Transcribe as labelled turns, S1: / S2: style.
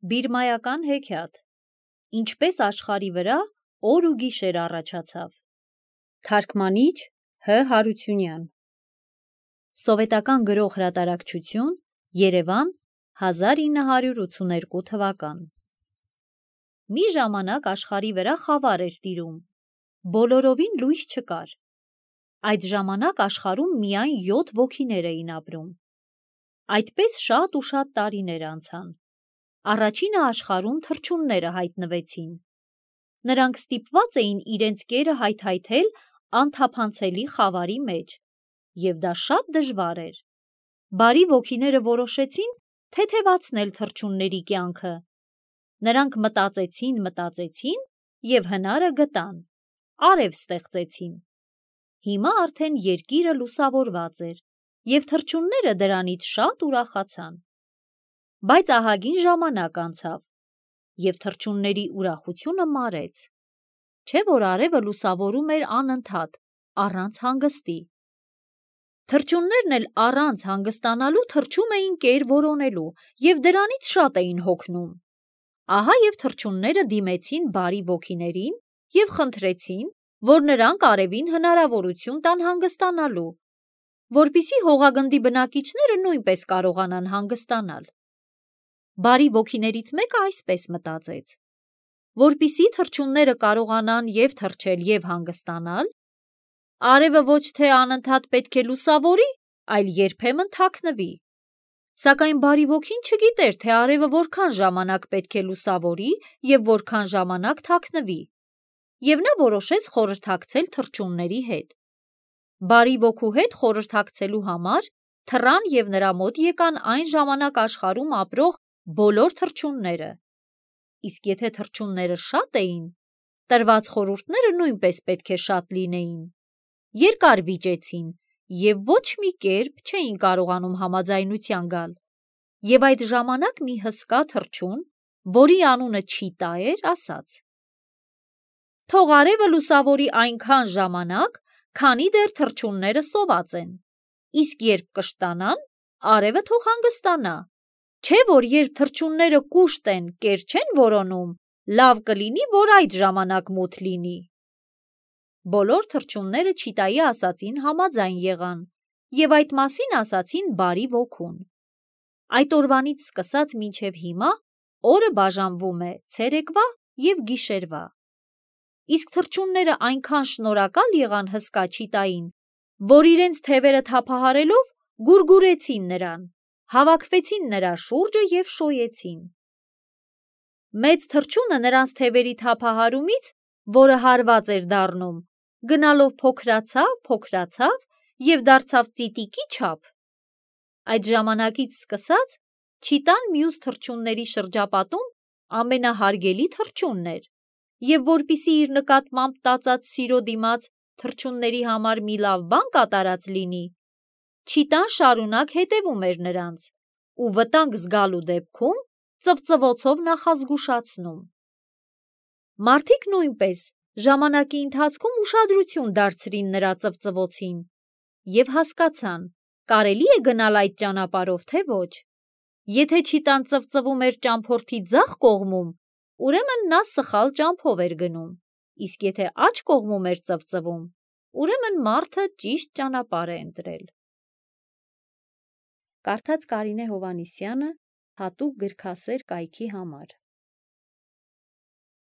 S1: Բիրմայական հեքիաթ։ Ինչպես աշխարհի վրա օր ու գիշեր առաջացավ։ Թարգմանիչ Հ. Հարությունյան։ Սովետական գրող հրատարակչություն, Երևան, 1982 թվական։ Մի ժամանակ աշխարհի վրա խավար էր տիրում, բոլորովին լույս չկար։ Այդ ժամանակ աշխարհում միայն 7 ոգիներ էին ապրում։ Այդպես շատ ու շատ տարիներ անցան։ Առաջինը աշխարհում թռչունները հայտնվեցին։ Նրանք ստիպված էին իրենց կերը հայթայթել անթափանցելի խավարի մեջ, և դա շատ դժվար էր։ Բարի ոգիները որոշեցին թեթևացնել թռչունների կյանքը։ Նրանք մտածեցին և հնարը գտան, արև ստեղծեցին։ Հիմա արդեն երկիրը լուսավորված էր, և թռչունները դրանից շատ ուրախացան։ Բայց ահագին ժամանակ անցավ, և թռչունների ուրախությունը մարեց, չէ՞ որ արևը լուսավորում էր անընդհատ, առանց հանգստի։ Թռչուններն էլ առանց հանգստանալու թռչում էին կեր որոնելու և դրանից շատ էին հոգնում։ Ահա և թռչունները դիմեցին բարի ոգիներին և խնդրեցին, որ նրանք արևին հնարավորություն տան հանգստանալու, որպեսզի հողագնդի բնակիչները նույնպես կարողանան հանգստանալ։ Բարի ոգիներից մեկը այսպես մտածեց. որպեսզի թռչունները կարողանան և թռչել, և հանգստանալ, արևը ոչ թե անընդհատ պետք է լուսավորի, այլ երբեմն թաքնվի։ Սակայն բարի ոգին չգիտեր, թե արևը որքան ժամանակ պետք է լուսավորի և որքան ժամանակ թաքնվի, և նա որոշեց խորհրդակցել թռչունների հետ։ Բարի ոգու հետ խորհրդակցելու համար թռան և նրա մոտ եկան այն ժամանակ աշխարհում ապրող բոլոր թռչունները։ Իսկ եթե թռչունները շատ էին, տրված խորհուրդները նույնպես պետք է շատ լինեին։ Երկար վիճեցին և ոչ մի կերպ չէին կարողանում համաձայնության գալ, և այդ ժամանակ մի հսկա թռչուն, որի անունը Չիտա էր, ասաց. «Թող արևը լուսավորի այնքան ժամանակ, քանի դեռ թռչունները սոված են, իսկ երբ կշտանան, արևը թող հանգստանա, չէ՞ որ երբ թռչունները կուշտ են, կեր չեն որոնում, լավ կլինի, որ այդ ժամանակ մութ լինի»։ Բոլոր թռչունները Չիտայի ասածին համաձայն եղան և այդ մասին ասացին բարի ոգուն։ Այդ օրվանից սկսած մինչև հիմա օրը բաժանվում է ցերեկվա և գիշերվա։ Իսկ թռչունները այնքան շնորհակալ եղան հսկա Չիտային, որ իրենց թևերը թափահարելով գուրգուրեցին նրան, հավաքվեցին նրա շուրջը և շոյեցին։ Մեծ թռչունը նրանց թևերի թափահարումից, որը հարված էր դառնում, գնալով փոքրացավ և դարձավ ծիտիկի չափ։ Այդ ժամանակից սկսած Չիտան մյուս թռչունների շրջապատում ամենահարգելի թռչունն էր, և որպեսզի իր նկատմամբ տածած սիրո դիմաց թռչունների համար մի լավ բան կատարած լինի, Չիտան շարունակ հետևում էր նրանց ու վտանգ զգալու դեպքում ծվծվոցով նախազգուշացնում։ Մարդիկ նույնպես ժամանակի ընթացքում ուշադրություն դարձրին նրա ծվծվոցին և հասկացան՝ կարելի է գնալ այդ ճանապարհով, թե ոչ։ Եթե Չիտան ծվծվում էր ճամփորդի ձախ կողմում, ուրեմն նա սխալ ճամփով էր գնում, իսկ եթե աջ կողմում էր ծվծվում, ուրեմն մարդը ճիշտ ճանապարհ է ընտրել։ Կարդաց Կարինե Հովհաննիսյանը հատուկ գրքասեր կայքի համար։